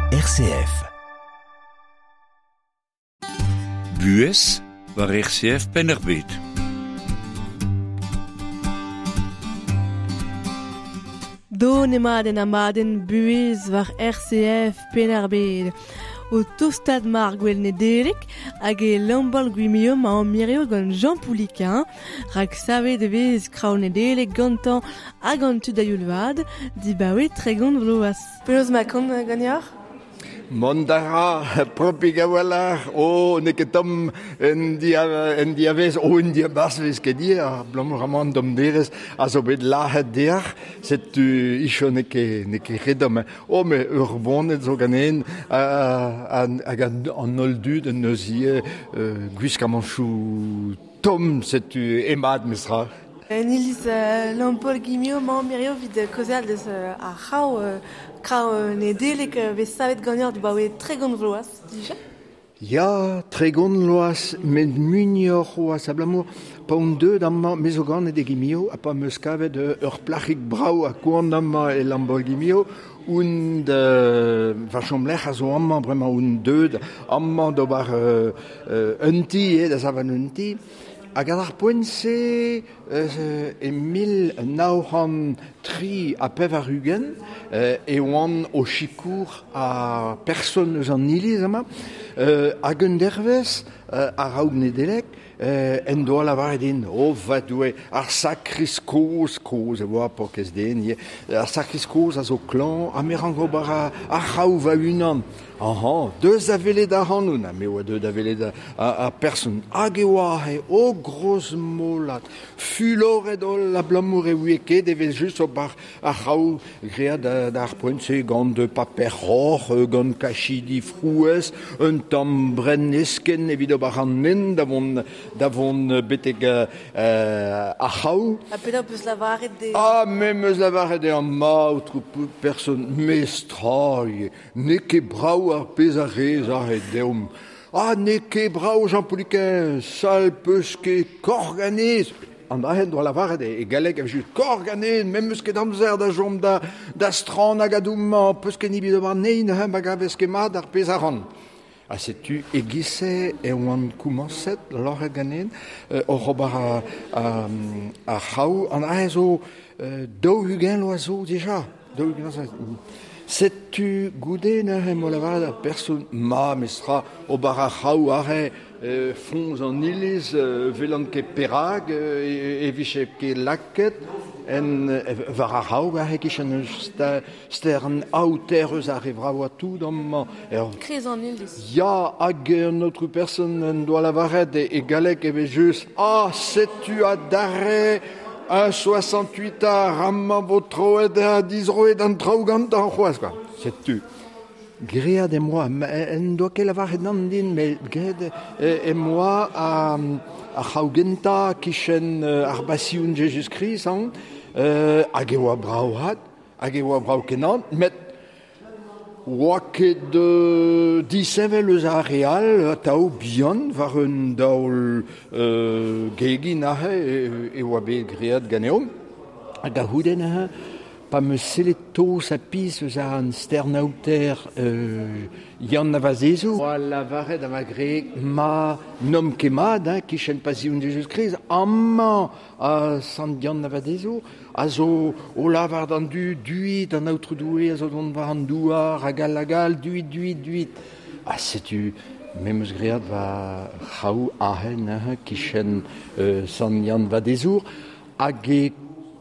RCF. Buhez war RCF Penn-ar-Bed. Don emañ en amadenn buhez war RCF Penn-ar-Bed. O tostaat mar gwell Nedeleg hag e Lambal Gwimium a mirio gant Jean Pouliquin, rak savet e vez kraou Nedeleg gantañ hag an tud a youl vat, dibaoe 30 vloaz. Penaos ma kont ganeoc'h? Mont a ra, propik a-walc'h, o, n'eo ket tomm en, dia, en diavez, o, en diabarzh vez ket dir, abalamour amañ an domderez a zo bet lazhet deoc'h, setu icho n'eo ket, n'eo ket re domm. O, met ur boned zo ganen, hag an holl dud en deus ivez gwiskamanchoù tomm, setu emat mestra. En iliz Lampol Guimio mañ mirio evit kaozeal deus ar c'hraou, kraou Nedeleg vez savet ganeoc'h dibaoe 30 vloaz dija. Ya, 30 vloaz, met muioc'h c'hoazh abalamour pa on deuet amañ, me zo ganet e Guimio, ha pa 'm eus kavet ur plac'hig brav ha koant amañ e Lambaol-Guimio, on da va chomlec'h a zo amañ bremañ, on deuet amañ d'ober un ti, eo, da savan un ti. Hag ar poent-se, e 1983 e oan o sikour ar person eus an iliz amañ, hag un dervezh, a-raok Nedeleg, en doa lavaret din, o va Doue, ar sakris kozh, kozh e oa paourkaezh den ivez, ar sakris kozh a zo klañv ha me rank ober ar c'hraou va-unan. Ahañ, deus da welet ac'hanoun, ha me oa deuet da welet ar person. Hag e oa aze, o grozmolat, fuloret holl abalamour e ouie ket evel-just ober ar c'hraou graet d'ar poent-se gant paper roc'h, gant kachidi frouezh, un tamm brenn eskenn evit ober an hent da vont, da vont betek ar c'hraou. Ha penaos 'peus lavaret dezhañ? Ah, me 'm eus lavaret dezhañ, ma aotrou person, mestra ivez. N'eo ket brav ar pezh a rez aze deomp. Ah, n'eo ket brav, Jean Pouliquin, sal 'peus ket korganez. An dra-se en doa lavaret e galleg evel-just korganez, me 'm eus ket amzer da chom da, da stranañ gant peus ket nemet ober anezhi neuze ma gavez ket mat ar pezh a ran. Ha setu e-giz-se e oan komañset loc'het ganin oc'h ober ar c'hraou. An dra-se zo 40 vloaz zo dija. 40 vloaz. Setu goude neuze em boa lavaret ar person ma mestra ober ar c'hraou aze foñs an iliz 'welan ket perak e vije ket lakaet en war ar c'hraou aze e-kichen eus stern aoter eus ar re vravañ tout amañ. Kreiz an iliz. Ya, hag an aotrou person en doa lavaret e galleg evel-just Ah, setu adarre un 68 ar amañ vo troet ha dizroet an traoù gantañ c'hoazh quoi. Setu. Graet em boa, en doa ket lavaret nann din, met graet em boa ar c'hraou gentañ kichen ar Basion Jezuz-Krist, hañ, hag e oa brav-hat. Hag e oa brav-kenañ, met oa ket disheñvel eus ar re all, atav bihan, war un daol gegin aze e oa bet graet ganeomp. Hag a-c'houde neuze, pa 'm eus sellet toz ha pizh eus ar stern-aoter Yann a Vazezoù, oa lavaret a va gwreg, ma n'omp ket mat, hein, kichen Pasion Jezuz-Krist, amañ ha Sant Yann a Vadezour a zo o lavar d'an dud duit an Aotrou Doue a zo dont war an douar hag all hag all, duit, duit, duit. Ha setu me 'm eus graet va c'hraou aze neuze kichen Sant Yann Vadezour hag e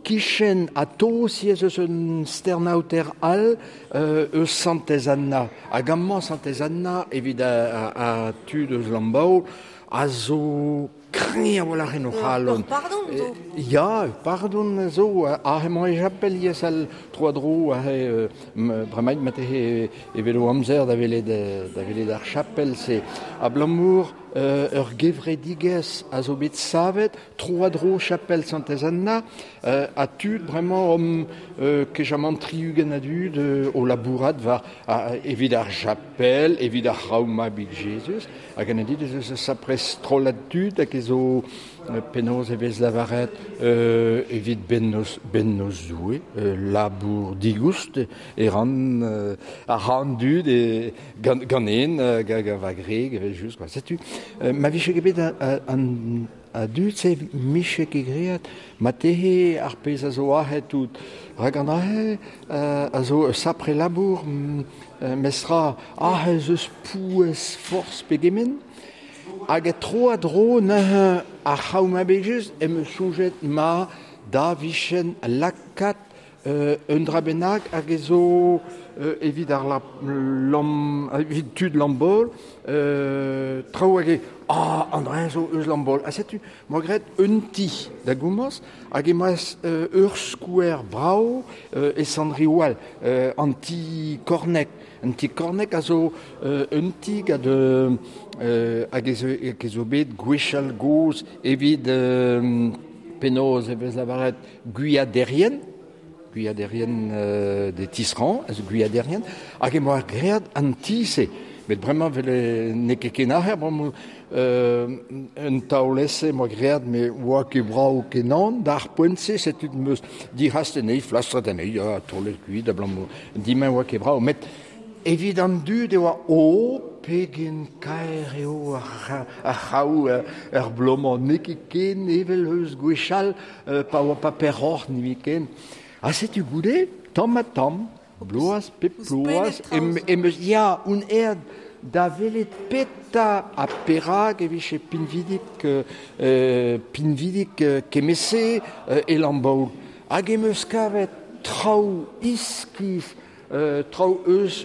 kichen atao ez eus un stern-aoter all eus Santez Anna. Hag amañ Santez Anna evit ar tud eus Lambaol a zo Kreñv a-walc'h en o c'halon. Ur pardon zo. Ya, ur pardon zo. Aze emañ e chapel ivez al tro-dro aze bremaik marteze e velo amzer da welet da welet ar chapel-se. Abalamour ur gevredigezh a zo bet savet, tro a dro chapel Santez-Anna, a tud bremañ om kejamant 60 a dud o labourat war evit ar chapel, evit ar c'hraou mabig Jesus, hag an dit ez eus sapres trollad tud hag ez zo penaos e vez lavaret evit bennoz Doue, labour digoust e ran ar ran dud e ganen va greg evel just quoi. Setu ma vije ket bet an a dud se miche ket great ma tehe ar pezh a zo ahet tout rak an ahe a zo sapre labour mestra ahe eus pouez forz pegement hag tro a dro neuze ar c'haou ma bet em eus soñjet ma da vichen lakat un dra bennak hag ez zo evit ar lam, evit tud Lambol, traoù hag e an dra zo eus Lambol. Ha setu, moa graet un ti da gomañs hag emaez ur skouer brav e Sant-Riwal, an ti Kornek. An ti Kornek a zo un ti gant hag ez zo bet gwechall gozh evit penaos e vez lavaret gwiaderien, de tisserand, ez gwiaderien, hag e moa graet an ti-se. Met bremañ vel n'eo ket ken aher, bremañ un taol-ese moa graet, me oa ket brav kenan, d'ar poent-se, setu meus dic'hast anezhi, flastret anezhi, ha taolet kuit, abalamour dimañ oa ket brav. Met evit an dud e oa o pegen kaer eo ar c'haou ar blomañ, n'eo ket ken evel eus gwechall, pa oa pa perroc'h n'eo ken. Ha setu goude, tamm ha tamm, bloaz, pep bloaz, em eus ya, un aer da welet peta ha perak e vije pinvidik kemese e Lambaol. Hag em eus kavet traoù iskis, traoù eus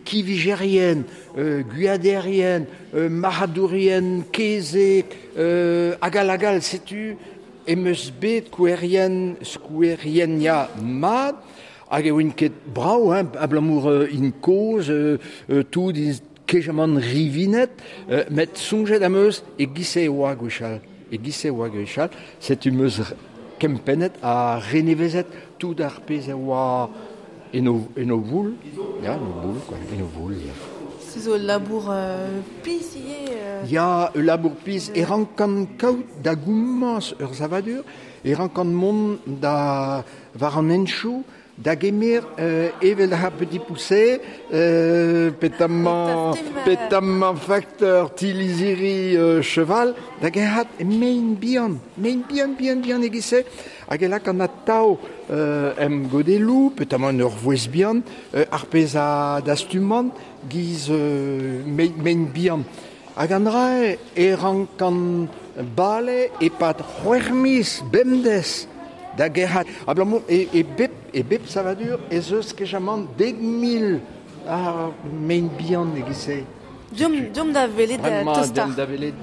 kivijerien, gwiaderien, marc'hadourien, kezeg, hag all hag all, setu em eus bet skouerien ya mat, hag e oin ket brav, hein, abalamour in kozh, tout in kejamant rivinet, met soñjet am eus e gise oa gwechall. E gise oa gwechall, setu em eus kempennet ha renevezet tout ar pezh a oa en o voul, ya, en o boul, quoi, en o voul, ya. Se zo labour pizh ivez. Ya, ul labour pizh. E rankan kaout da gomañs ur savadur, e rankan mont da war an henchoù, da gemer evel ar petit pousset, petamant facteur tiliziri cheval, da gerc'hat mein bihan, bihan e-giz-se, hag e lak an atav em godelloù, petamant ur vouezh bihan, ar pezh a dastumant, giz mein bihan. Hag an dra e rankan bale e-pad c'hwec'h miz bemdez da gerc'hat. Abalamour e bep savadur ez eus kejamant 10,000 ar mein bihan e-giz-se. Deomp da welet tostar. Deomp da welet.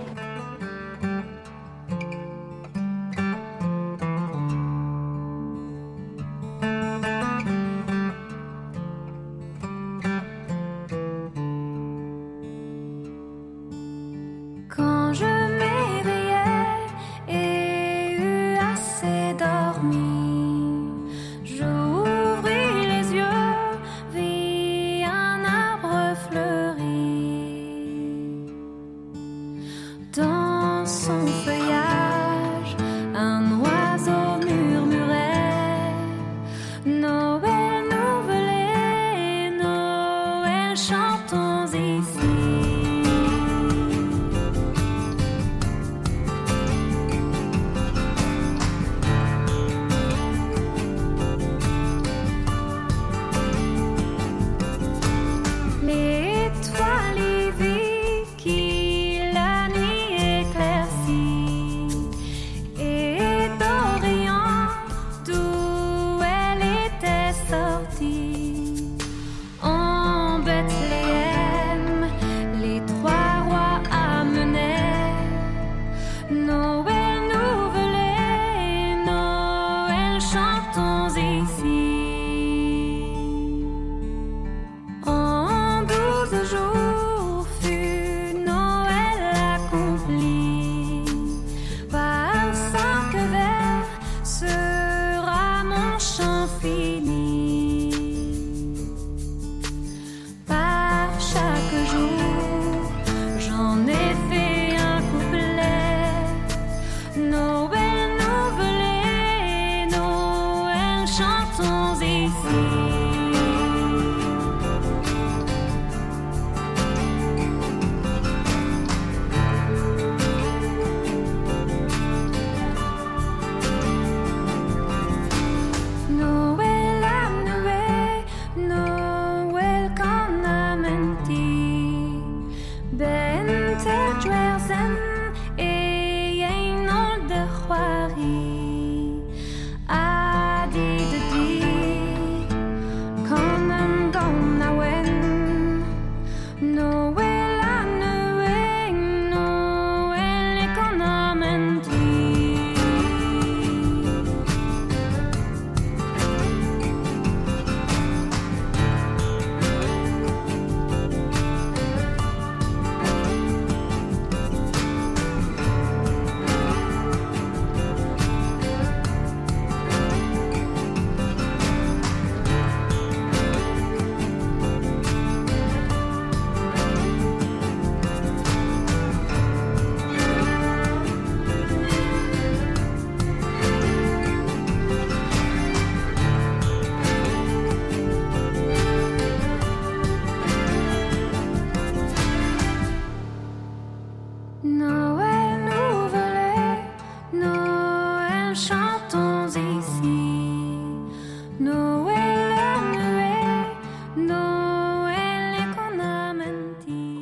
Quand je m'éveillais et eus assez dormi, j'ouvris les yeux, vis un arbre fleuri. Dans son feuillage, un oiseau murmurait Noël nouvelé, Noël chantons ici. L'étoile y vit qui la nuit éclaircit, et d'Orient d'où elle était sortie, en Bethléem, les trois rois amenaient Noël nouvelé, Noël chantons ici. En 12 jours fut Noël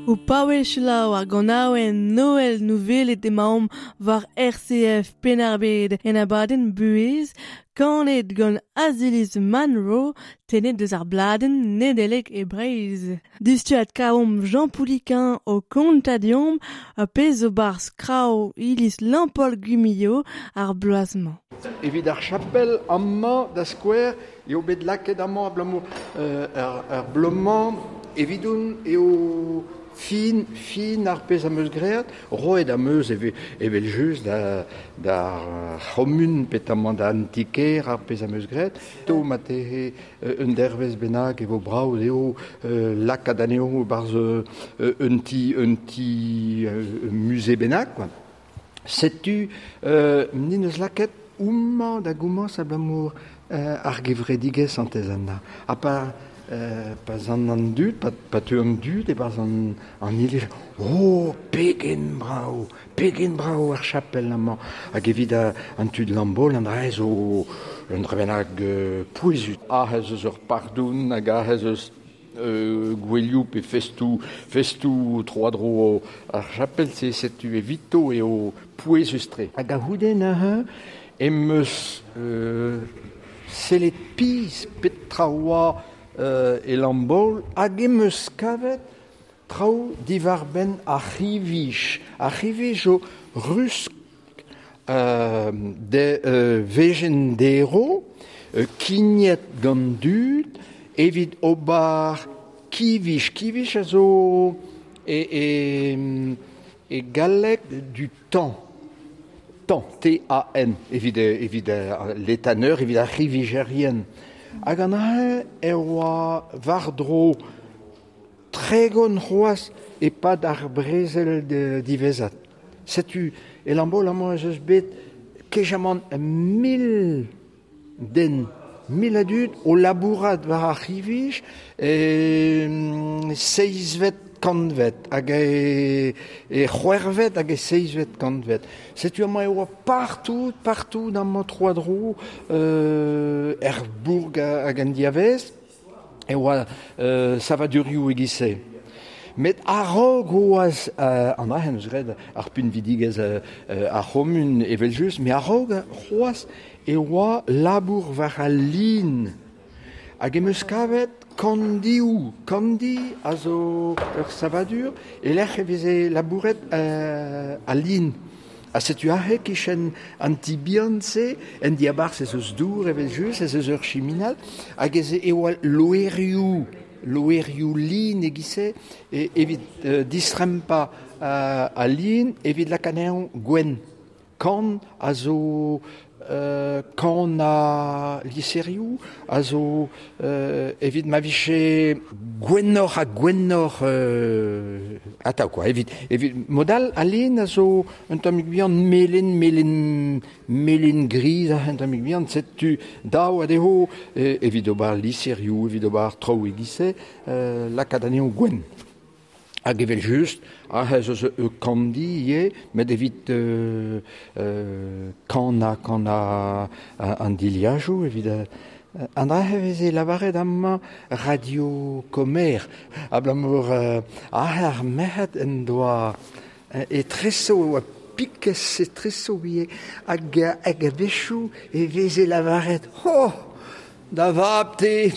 O paouez selaou ar ganaouenn Noël nouvelet emaomp war RCF Penn-ar-Bed en abadenn buhez, kanet gant Aziliz Manrow, tennet deus ar bladenn Nedeleg e Breizh. Distuad kaomp Jean Pouliquen o kontañ deomp a pezh zo barzh kraou iliz Lampaul-Gwimilio ar bloaz-mañ. Evit ar chapel amañ da skouer eo bet lakaet amañ abalamour ar bloaz-mañ evidon eo fin, fin ar pezh am eus graet, roet am eus evel just d'ar c'homun petamant da antiker ar pezh am eus graet. To ma tehe un dervezh bennak e vo brav dezho lakaat anezho barzh un ti musée bennak quoi. Setu nin eus lakaet homañ da gomañs abalamour ar gevredigezh Santez Anna. Ha pa zan an dud, pa teu an dud e-barzh an iliz, oh, pegen brav ar chapel amañ. Hag evit an tud Lambaol, an dra zo un dra bennak pouezus. Ah, ez eus ur pardon hag ah, ez eus gouelioù pe festoù tro-dro ar chapel, se setu evito eo pouezus-tre. Hag a-c'houde neuze em eus sellet pizh petra oa e Lambaol hag em eus kavet traoù diwar-benn ar c'hivij. Ar c'hivij zo rusk de vejenn dero, kignet gant dud evit ober kivij. Kivij a zo e galleg du tan. Tan, T-A-N, evit l'éthaneur, evit ar c'hivijerien. Hag an ahe e oa war-dro 30 c'hoazh e-pad ar brezel diwezhat. Setu e Lambaol amañ ez eus bet kejamant 1000 den, 1000 a dud o labourat war ar c'hivij seizhvet kantved hag e c'hwec'hvet hag e seizhvet kantved. Setu amañ e oa partout amañ tro-dro er bourg hag an diavez e oa savadurioù e-giz-se. Met a-raok oaz an dra eus graet ar pinvidigezh ar c'homun evel-just, met a-raok c'hoazh e oa labour war al lin. Hag em eus kavet kandioù. Kandi a zo ur savadur e lec'h e veze labouret al lin. Ha setu aze kichen an ti bihan-se, en diabarzh ez eus dour evel-just, ez eus ur chiminal, hag ez e oa loerioù lin e-giz-se evit distrempañ al lin, evit lakaat anezhañ gwenn. Kan a zo kan a liserioù a zo evit ma vije gwennoc'h ha gwennoc'h atav quoi. Evit modal al lin a zo un tammig bihan melen griz un tammig bihan, setu daou a dezho evit ober liserioù, evit ober traoù e-giz-se, lakaat anezho gwenn. Hag evel just, ez eus ur kandi ivez, met evit kannañ an dilhajoù, evit an dra e veze lavaret amañ Radio Kommer, abalamour ar merc'hed en doa etreso e oa pikez etreso ivez, hag a-wechoù e veze lavaret oh, da vab te,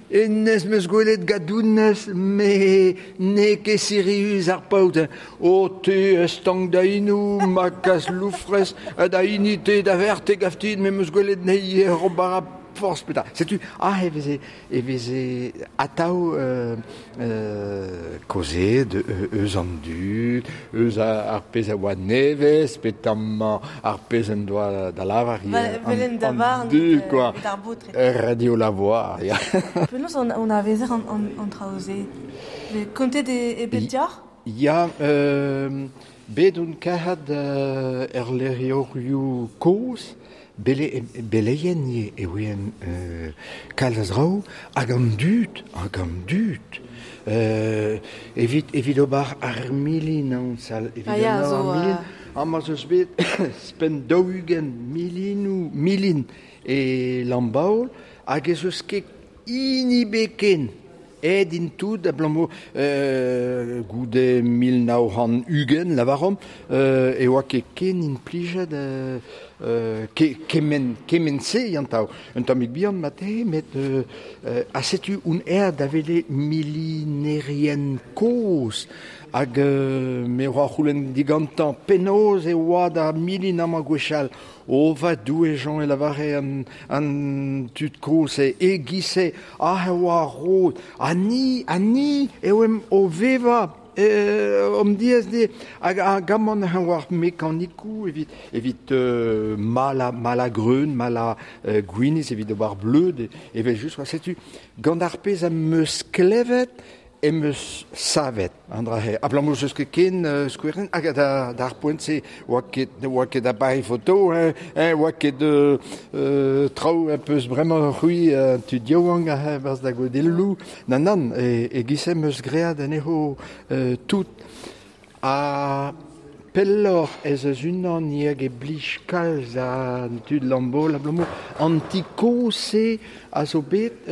Enez meus gwelet gadounez, me n'eo ket sirius ar paotr. O te estank da inou, ma kas loufrez, da hini te da verte gaftin, me meus gwelet nei ober a forzh petra. Setu, e veze atav kaozeet eus an dud, eus ar pezh a oa nevez, petammañ ar pezh en doa da lavar an dud, quoi. Radio La Voix, ya. Penaos on a vezer an traoù-se? Kontet e bet dioc'h? Ya, bet on kahat er lec'hioù kozh, beleien e oen kalz a zraoù hag an dud. Evit ober ar milin an sal. Evit ar milin. Amañ eus bet spenn 40 milin e Lambaol hag ez eus ket hini beken. Aet int tout abalamour goude 1920 lavaromp e oa ket ken implijet kement kement-se yantav. Un tammig bihan marteze met ha setu on aet da welet milinerien kozh hag me oa c'houlenn digantañ penaos e oa da milin amañ gwechall. O va Doue Jean e lavare an tud kozh-se e-giz-se aze e oa ar rod ha ni ha ni e oemp o vevañ omp diaes dezhe hag hag amañ neuze oa ar mekanikoù evit evit malañ malañ greun, malañ gwinizh evit ober bleud evel-just quoi. Setu gant ar pezh am eus klevet em eus savet an dra-se abalamour n'eus ket ken skouerenn hag d'ar poent-se oa ket ne oa ket appareil photo hein oa ket traoù un peus bremañ c'hwi tud yaouank aze 'barzh da godelloù nann nann e-giz-se em eus graet anezho tout ha pelloc'h ez eus unan hag e blij kalz da tud Lambaol abalamour an ti kozh-se a zo bet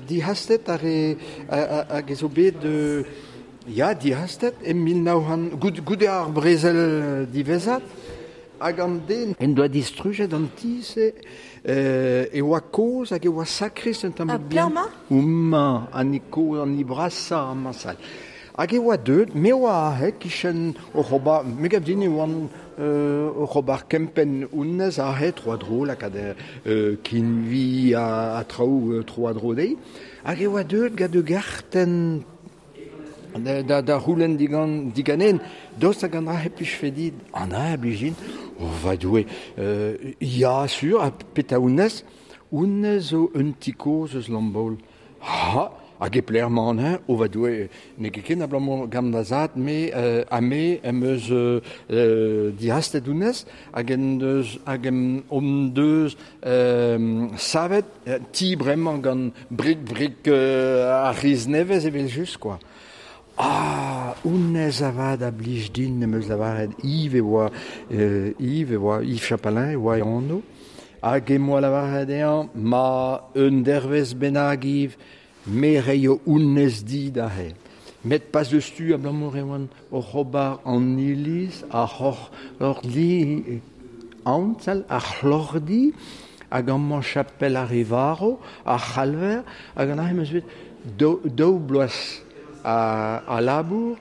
dihastet ar re hag e zo bet ya dihastet e 1900 goude ar brezel diwezhat hag an den en doa distrujet an ti-se e oa kozh hag e oa sakrist un tammig bihan. Homañ an hini kozh an hini brasañ amañ sal. Hag e oa deuet, me oa aze 'kichen oc'h ober, me gav din e oan oc'h ober kempenn honnezh aze tro-dro, lakaat kinvi ha traoù tro-dro dezhi. Hag e oa deuet gant ur gartenn da c'houlenn diganen, daoust hag an dra-se 'plijfe dit? An dra a blij din? O va Doue, ya sur, ha petra honnezh? Honnezh zo un ti kozh eus Lambaol. Ha hag e pelec'h emañ an-eñ? O va Doue, n'eo ket ken abalamour gant va zad, me ha me em eus dihastet honnezh hag en deus hag hon deus savet ti bremañ gant brik-brik ar c'hiz nevez evel-just kwa. Ah, honnezh avat a blij din em eus lavaret Yves e oa Yves e oa Yves Chapalain e oa e anv. Hag em boa lavaret dezhañ ma un dervezh bennak Yves, me reio honnezh dit aze. Met pas deus tu abalamour e oan oc'h ober an iliz, ar c'hloc'hdi, antal, ar c'hloc'hdi, hag amañ chapel ar re varv, ar c'halver, hag an aze 'm eus bet daou bloaz a labour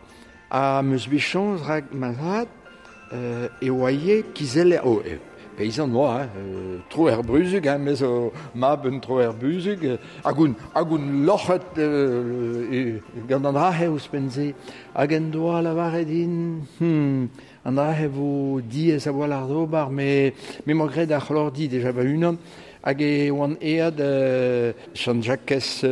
ha 'm eus bet chañs rak ma zad e oa ivez kizeller, oh peizant oa, hein, troer bruzhug, hein, me zo mab un troer bruzhug, hag on, hag on loc'het gant an dra-se ouzhpenn-se. Hag en doa lavaret din, an dra-se vo diaes a-walc'h d'ober, met me 'moa graet ar c'hloc'hdi deja va-unan, hag e oan aet Sant-Jakez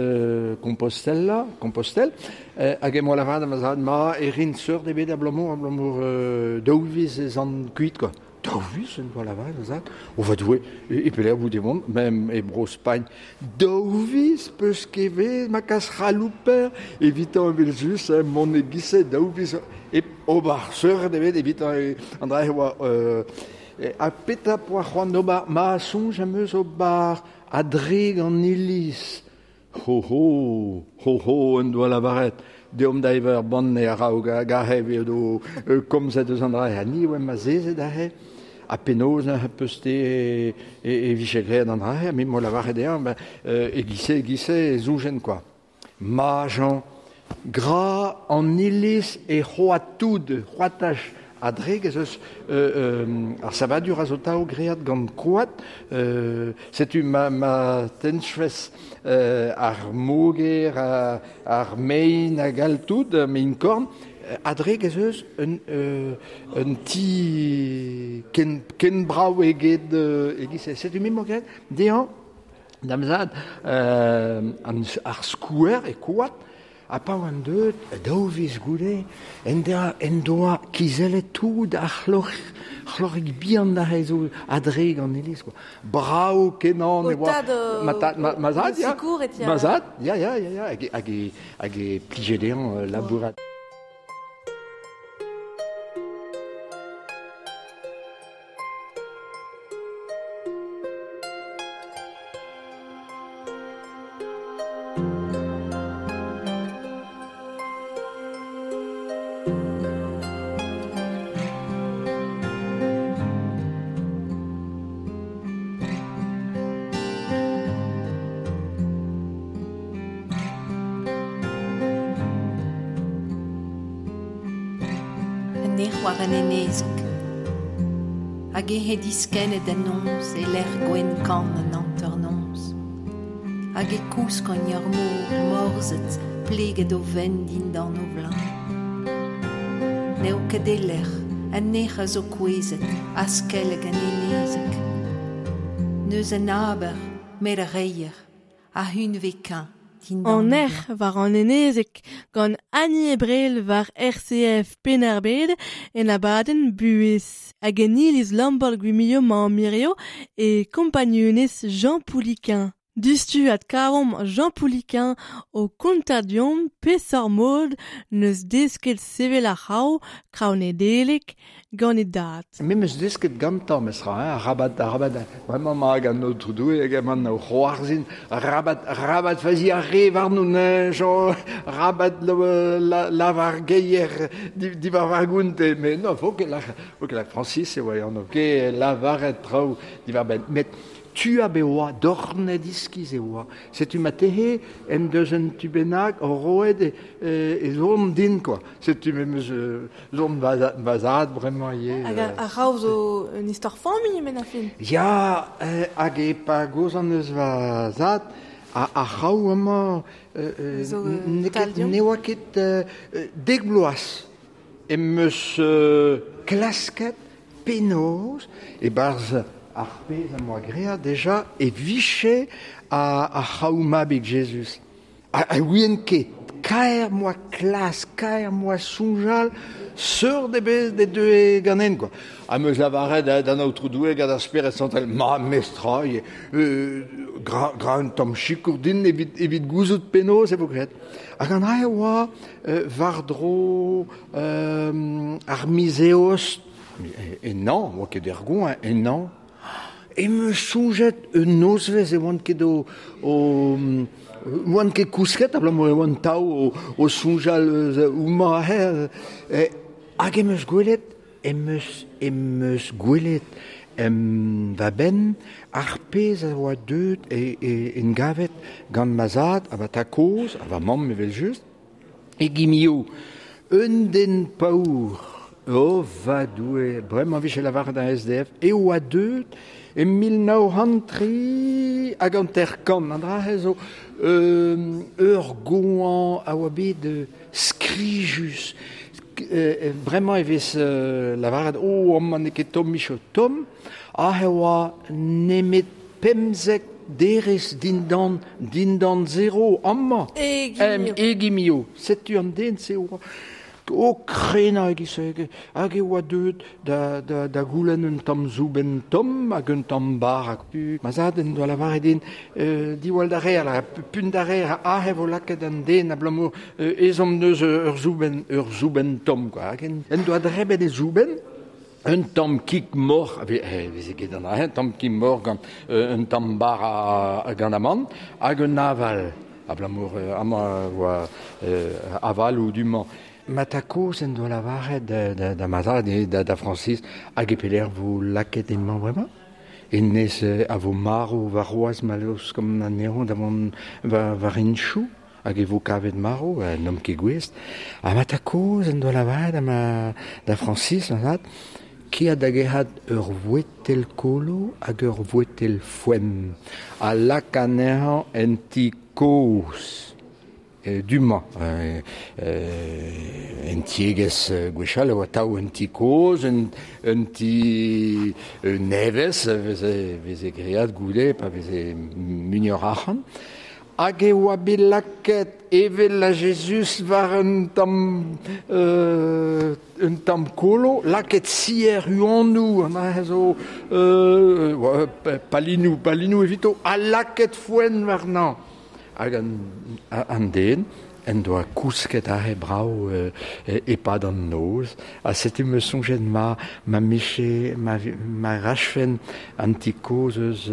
Compostela, Compostelle, hag em boa lavaret da ma zad, ma e rin seurt ebet abalamour, abalamour daou viz ez an kuit quoi. Daou viz en doa lavaret ma zad. O va Doue, e pelec'h bout e vont, même e Bro-Spagn. Daou viz peus ket vet ma kas c'halouper evitañ evel-just mont e-giz-se daou viz hep ober seurt ebet evitañ an dra e oa ha petra poa c'hoant d'ober? Ma soñj am eus ober a-drek an iliz. Ho ho, ho ho en doa lavaret deomp da evañ ur banne a-raok hag aze edo komzet eus an dra ha ni oa azezet aze ha penaos neuze peus-te e vije graet an dra-se ha me 'moa lavaret dezhañ e-giz-se e-giz-se e soñjen kwa. Ma Jean, gra an iliz e c'hoad tout, c'hoataj a-drek ez eus ar savadur a zo tav graet gant koad. Setu ma tennfes ar moger, ar mein hag all tout, mein-korn, a-drek ez eus un ti ken brav eget e-giz-se. Setu me 'moa graet dezhañ Da'm zad, ar skouer e koad, ha pa oan deuet daou viz goude, en doa, en doa kizellet tout ar c'hloc'hig bihan aze zo a-drek an iliz kwa. Brav-kenañ e oa. Ma tad, ma zad, ya. Ma zad, ya, ya, ya, ya, hag e plije dezhañ labourat. an erc'h war an enezeg. Hag eo he diskennet da noz e lec'h gwenn kan an hanternoz. Hag e kousk an ur mor morzet pleget o vent dindan o vleun. N'eo ket e lec'h, an erc'h a zo kouezhet, askellek an enezeg. N'eus an aber, met ar reier, a hunvez keñv. An erc'h war an enezeg gant Annie Ebrel war RCF Penn-ar-Bed en abadenn Buhez. Hag en iliz Lambaol-Gwimilio mañ Mirio e kompagnunezh Jean Pouliquen. Diouzhtu adkavomp Jean Pouliquen o kontañ deomp peseurt mod n'eus desket sevel ar c'hraou, kraou Nedeleg, gant e dad. Me 'meus desket gantañ mestra, hein, arabat, arabat, bremañ 'ma hag an Aotrou Doue hag emañ o c'hoarzhin, arabat, arabat fazi ar re warnon, hein, Jean, arabat lavar geier diwar war gount, mais non, faut ket lâr, faut ket lâr Francis e oa e anv, ket lavaret traoù diwar-benn. Met tu a be oa, dornet iskis e oa. Setu ma tehe en deus un tu bennak roet e zorn din, quoi. Setu me 'meus zorn va zad bremañ ivez. Hag ar c'hraou zo un istor familh met a fin. Ya, hag e pa gozan eus va zad, ar c'hraou amañ ne oa ket 10 bloaz em eus klasket penaos e-barzh ar pezh am boa graet deja e vije ar c'hraou mabig Jezuz. Ha ouien ket, kaer 'm boa klask, kaer 'm boa soñjal, seurt ebet ne deue ganen, quoi. Ha 'm eus lavaret d'an Aotrou Doue gant ar Spered Santel, ma mestra, gra un tamm sikour din evit gouzout penaos e vo graet. Hag an dra e oa war-dro ar miz Eost, ennañ, oa ket er goañv, ennañ, em eus soñjet un nozvezh e oan ket o oan ket kousket abalamour e oan tav o soñjal eus homañ aze. Hag em eus gwelet, em eus gwelet va benn ar pezh a oa deuet en gavet gant ma zad ha ma tad-kozh ha va mamm evel-just, e Gimio, un den paour, oh va Doue, bremañ 'vije lavaret d'an SDF, e oa deuet e 1953, an dra-se zo ur goañv a oa bet skrijus. Bremañ e vez lavaret oh amañ n'eo ket tomm micho tomm, aze e oa nemet 15 derez dindan zero amañ. E Gimio. Setu an den-se oa o krenañ e-giz-se hag e oa deuet da goulenn un tamm soubenn tomm hag un tamm bara. Ma zad en doa lavaret din diwall da reer, punt da reer, aze e vo lakaet an den abalamour ezhomm deus ur soubenn tomm, quoi. Hag en doa drebet e soubenn, un tamm kig moc'h, e veze ket an dra-se, un tamm kig moc'h gant un tamm bara gant amann hag un aval, abalamour amañ oa avaloù du-mañ. Ma tad-kozh en doa lavaret da ma zad, da Francis, hag e pelec'h vo lakaet emañ bremañ? Hennezh a vo marv warc'hoazh ma laoskomp anezhañ da vont war henchoù hag e vo kavet marv, n'omp ket gouest. Ha ma tad-kozh en doa lavaret da Francis, ma zad, kea da gerc'hat ur voetel kolo hag ur voetel foenn ha lak anezhañ en ti kozh. Du-mañ, en tiegezh gwechall e oa atav un ti kozh, un ti nevez a veze graet goude pa veze muioc'h arc'hant. Hag e oa bet lakaet evel a Jezuz war un tamm kolo, lakaet sier huanoù, an dra zo palinoù evito, ha lakaet foenn warnañ. Hag an den en doa kousket aze brav e-pad an noz. Ha setu 'm eus soñjet ma miche, ma rachfen an ti kozh eus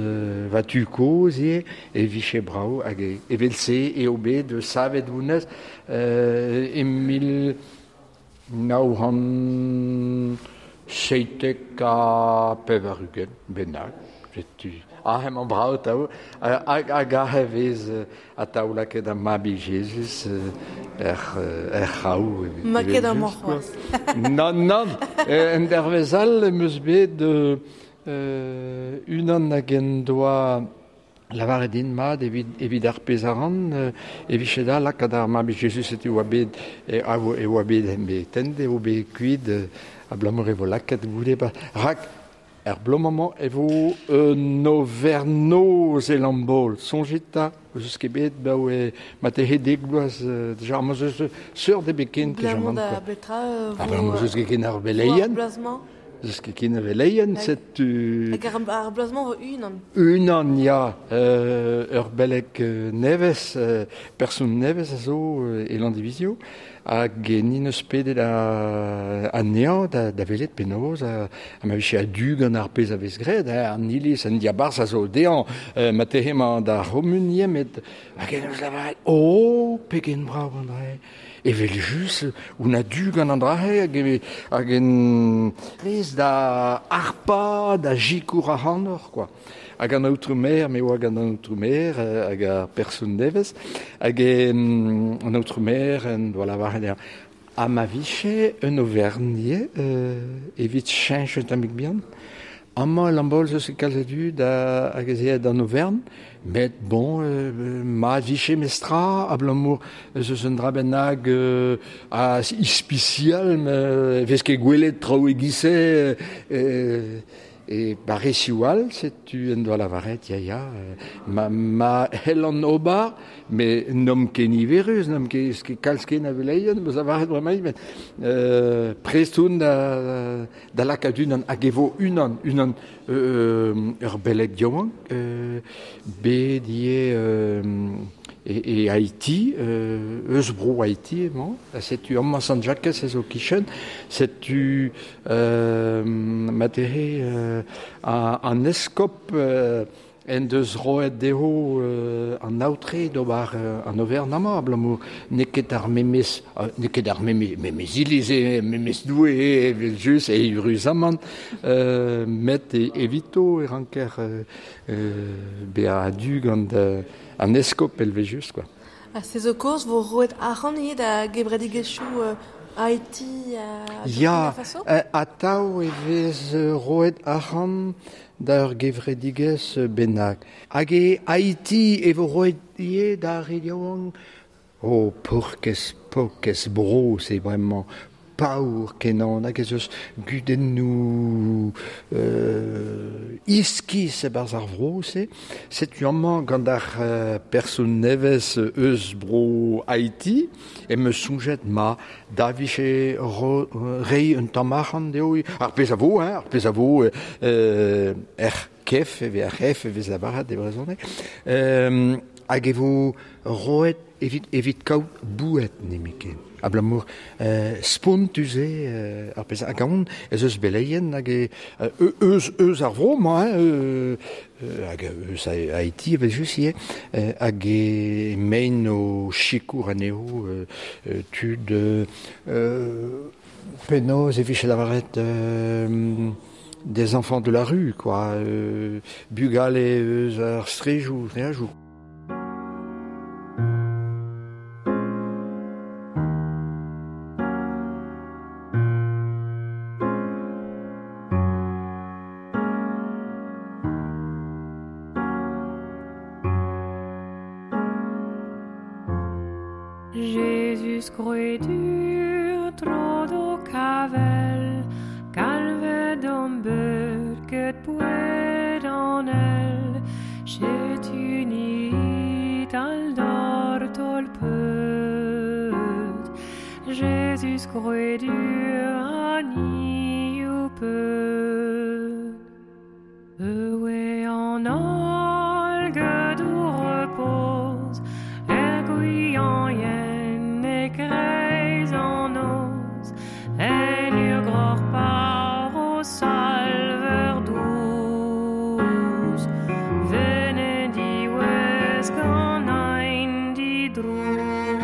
va tu kozh ivez, e vije brav. Hag evel-se eo bet savet honnezh e 1997 bennak. Setu aze emañ brav atav hag aze vez atav lakaet ar mabig Jezuz er c'haou. Ma ket amañ c'hoazh. Nann, nann, en dervez all em eus bet unan hag en doa lavaret din mat evit ar pezh a ran, e vije da lakaat ar mab Jezuz e oa bet e oa bet bet eo bet kuit abalamour e vo lakaet goude rak er bloaz-mañ e vo un overnoz e Lambol. Soñjit 'ta, eus ket bet baoe ma tehe dek bloaz deja ma eus seurt ebet ken Abalamour da betra vo... Abalamour eus ket ken ar veleien. Eus ket ken ar veleien, setu... Hag ar bloaz-mañ vo unan. Unan, ya. Ur beleg nevez, person nevez a zo e Landivizio. Hag ni neus pedet anezhañ da welet penaos ha ma vije a-du gant ar pezh a vez graet, an iliz, an diabarzh a zo dezhañ, ma tehe emañ d'ar c'homun ivez, met hag en deus lavaret, oh, pegen brav an dra-se, evel-just, on a-du gant an dra-se, hag en rez da harpañ, da sikour ac'hanoc'h, quoi. Hag an aotrou-maer, me oa gant an aotrou-maer hag ar person nevez, hag an aotrou-maer en doa lavaret dezhañ, ha ma vije un overnier evit cheñch un tammig bihan. Amañ e Lambaol zo kalz a dud hag ez eo d'an overn, met bon, ma vije mestra, abalamour ez eus un dra bennak a ispisial, e vez ket gwelet traoù e-giz-se, E barrezioù all, setu en doa lavaret, ya, ya, ma c'hellan ober, met n'omp ket niverus, n'omp ket kalz ken a veleien, meus lavaret bremañ, met prest on da lakaat unan, hag e vo unan, unan ur beleg yaouank, bet ivez e Haiti, eus bro Haiti emañ, setu amañ Sant-Jakez ez o kichen, setu ma-tehe an eskob en deus roet dezho an aotre d'ober an overn amañ, abalamour n'eo ket ar memes, n'eo ket ar memes iliz eo, memes Doue eo, evel-just, eüruzamant, met evito e ranker bezañ a-du gant an eskob evel-just, quoi. Ha se zo kaoz vo roet arc'hant ivez da gevredigezhioù Haiti ha Ya, Burkina Faso? Atav e vez roet arc'hant da ur gevredigezh bennak. Hag e Haiti e vo roet ivez d'ar re yaouank. Oh, paourkaezh, paourkaezh bro, se bremañ. Paour kenañ, hag ez eus gudennoù iskis e-barzh ar vro-se. Setu amañ gant ar person nevez eus bro Haiti em eus soñjet ma da vije reiñ un tamm arc'hant dezho. Ar pezh a vo, hein, ar pezh a vo er kef, e vez ar c'hef e vez lavaret e brezhoneg. Hag e vo roet evit kaout boued nemetken. Abalamour spontus eo ar pezh hag aon ez eus beleien hag eus ar vro-mañ, hein, hag eus Haiti evel-just ivez, hag e mein o sikour anezho tud penaos e vije lavaret des enfants de la rue, quoi, bugale eus ar strejoù, streajoù. Jezuz kroedur tro d'ho kavel, galvet an beud get boued an el, setu nit al dor tol peud. Jezuz kroedur a ni ho peud. Eue an holl get o repos, er gwian yen e kreiz an noz, en ur groc'h par o salver douz, vene diwez gant ein didrouz.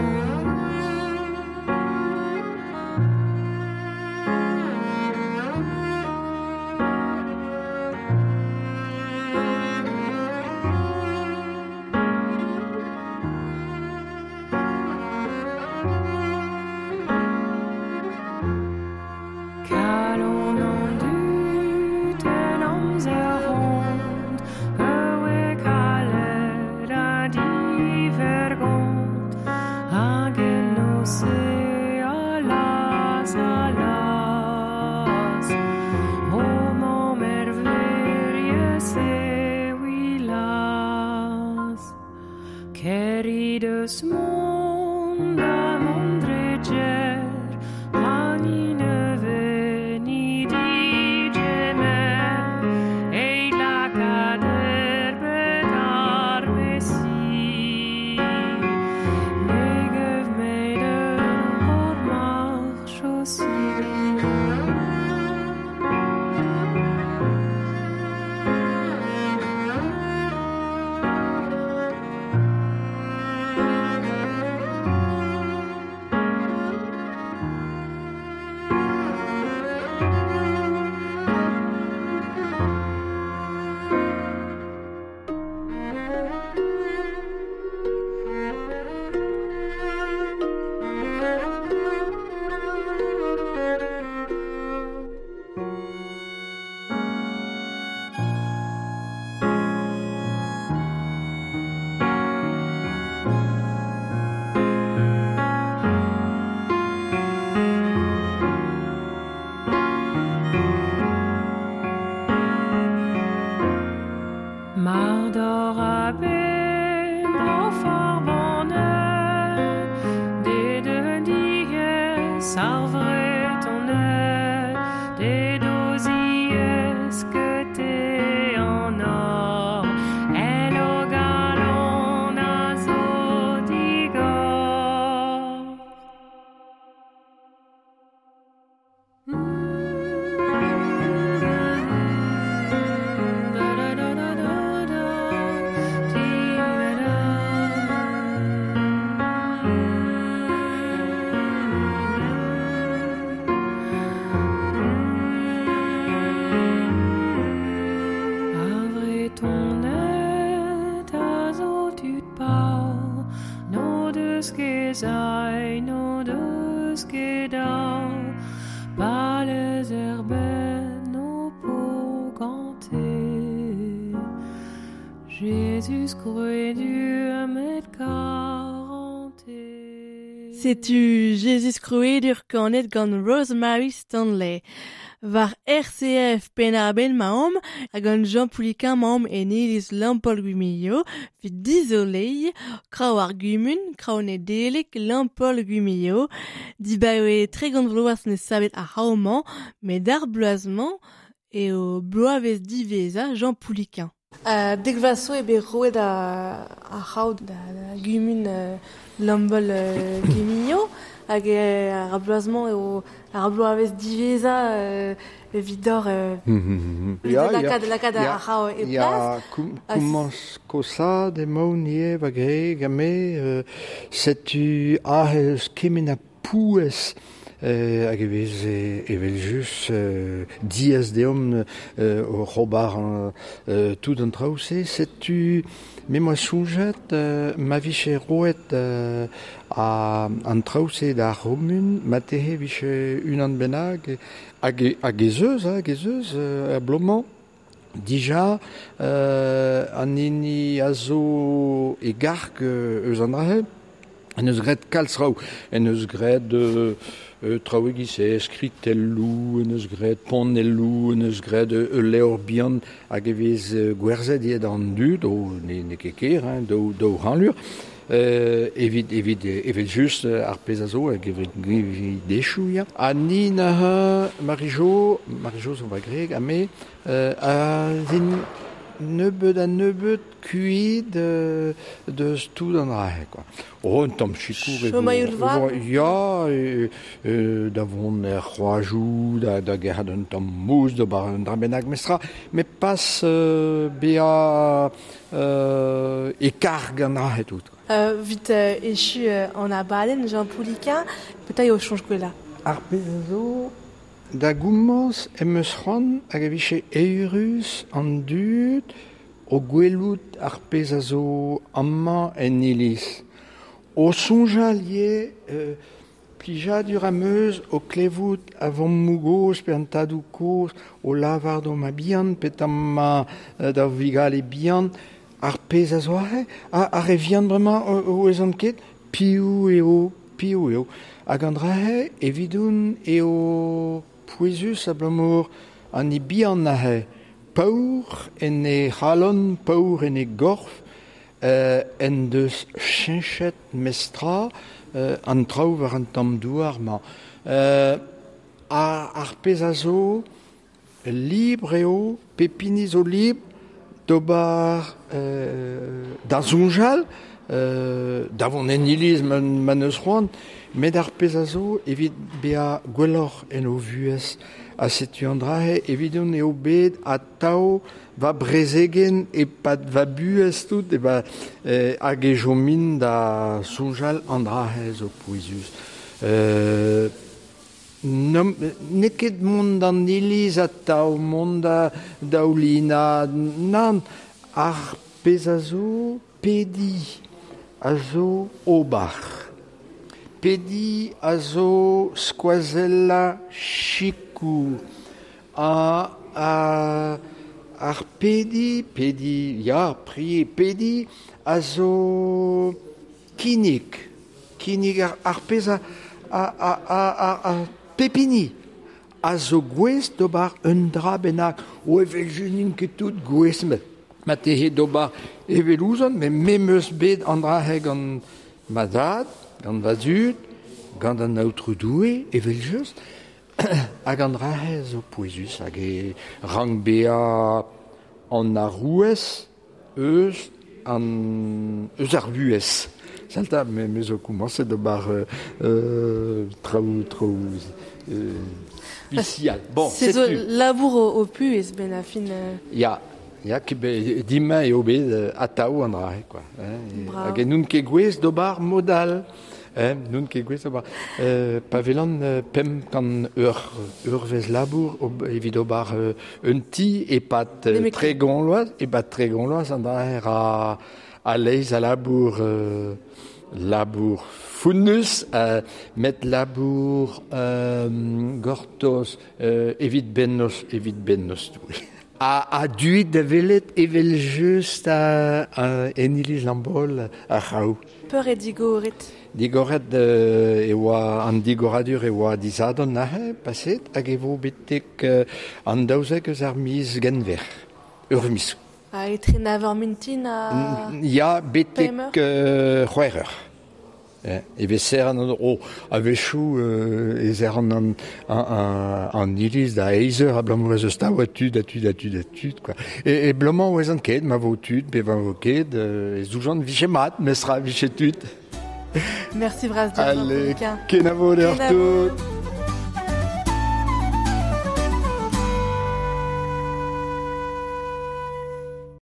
Setu Jesus Krouedur kanet gant Rosemary Stanley. War RCF Penn-ar-Bed maomp hag gant Jean Pouliquen maomp en iliz Lampaul-Gwimilio evit dizoleiñ kraou ar gumun, kraou Nedeleg Lampaul-Gwimilio. Dibaoe 30 vloaz ne savet ar c'hraou-mañ, met ar bloaz-mañ eo bloavezh diwezhañ Jean Pouliquen. Dek vloaz zo eo bet roet ar c'hraou da gumun Lampaul-Gwimilio hag ar bloaz-mañ eo ar bloavezh diwezhañ evit lakaat ar c'hraou e plas. Ya, komañs kosaat emaon ivez va greg ha me setu aze eus kement a pouez hag e vez evel-just diaes deomp oc'h ober tout an traoù-se. Setu me 'moa soñjet ma vije roet an traoù-se d'ar c'homun, marteze vije unan bennak hag ez eus, hag ez eus er bloaz-mañ. Dija an hini a zo e garg eus an dra-se, en eus graet kalz traoù, en eus graet traoù e-giz-se, skritelloù, en eus graet panelloù, en eus graet ul levr bihan hag e vez gwerzhet ivez d'an dud, o n'eo ket ker, hein, daou c'hanlur, evit evel-just ar pezh a zo hag evit dechoù, ya. Ha ni neuze, Marie-Jo zo va greg, ha me, a zin nebeut ha nebeut kuit deus tout an dra-se, quoi. Oh, un tamm sikour e vo. Ya, da vont er c'hoajoù, da gerc'hat un tamm mousse, d'ober un dra bennak mestra, met pas bezañ e karg an dra-se tout. Vit echu an abadenn Jean Pouliquen, petra eo soñj gwellañ? Ar pezh a zo da gomañs em eus c'hoant hag e vije eürus an dud o gwelout ar pezh a zo amañ en iliz. O soñjal ivez plijadur am eus o klevout a vammoù gozh pe an tadoù kozh o lavar d'o ma bihan pe tamm ma da vugale bihan ar pezh a zo aze ar re vihan bremañ o ezan ket piv eo. Hag an dra-se evidoun eo pouezus abalamour an e bihan aze paour en e c'halon, paour en e gorf, en deus cheñchet mestra an traoù war an tamm douar-mañ. Ar pezh a zo libr eo, pep hini zo libr d'ober da soñjal, da vont en iliz ma n'eus c'hoant, met ar pezh a zo evit bezañ gwelloc'h en o vuhez. Ha setu an dra-se evidon eo bet atav va brezegenn e-pad va buhez tout, e ba, hag e chomin da soñjal an dra-se zo pouezus. N'eo ket mont d'an iliz atav, mont da daoulinañ, nann, ar pezh a zo pediñ a zo ober. Pediñ a zo skoazellañ sikour. Ar pediñ, pediñ, ya, prier, pediñ a zo kinnig. Kinnig ar pezh a pep hini a zo gouest d'ober un dra bennak. O evel-just n'int ket tout gouest, met marteze d'ober evel ouzon, met me 'm eus bet an dra-se gant ma zad, gant va zud, gant an Aotrou Doue, evel-just, hag an dra-se zo pouezus hag e rank bezañ an arouez eus an eus ar vuhez. Salta, me zo komañset d'ober traoù traoù spesial. Bon, Se zo setu. labour o puhez benn ar fin. Ya, ya, dimañ eo bet atav an dra-se, quoi. Hein, Brav. hag n'on ket gouest d'ober mod all. Hein, n'on ket gouest d'ober. Pa welan 500 eur eurvezh labour evit ober un ti e-pad Nemet ket. 30 vloaz, e-pad 30 vloaz an dra-se ra a-leizh a labour labour founnus, met labour gortoz evit bennozh, evit bennozh Doue. Ha duit da welet evel-just en iliz Lambaol ar c'hraou. Peur eo digoret? Digoret e oa an digoradur e oa disadorn neuze paset hag e vo betek an 12 eus ar miz Genver. Ur miz. Ha etre nav eur mintin ha... Ya, betek Pemp eur? c'hwec'h eur. E vez serr an oh, a-wechoù e serr an iliz da eizh eur abalamour ez eus tav a tud, a tud, a tud, a tud, quoi. E blomañ 'ouezan ket, ma vo tud, pe ma vo ket, e zoujan 'vije mat, mestra 'vije tud. Merci bras deoc'h, Allez, Jean-Paul. kenavo deoc'h Kenavo. tout.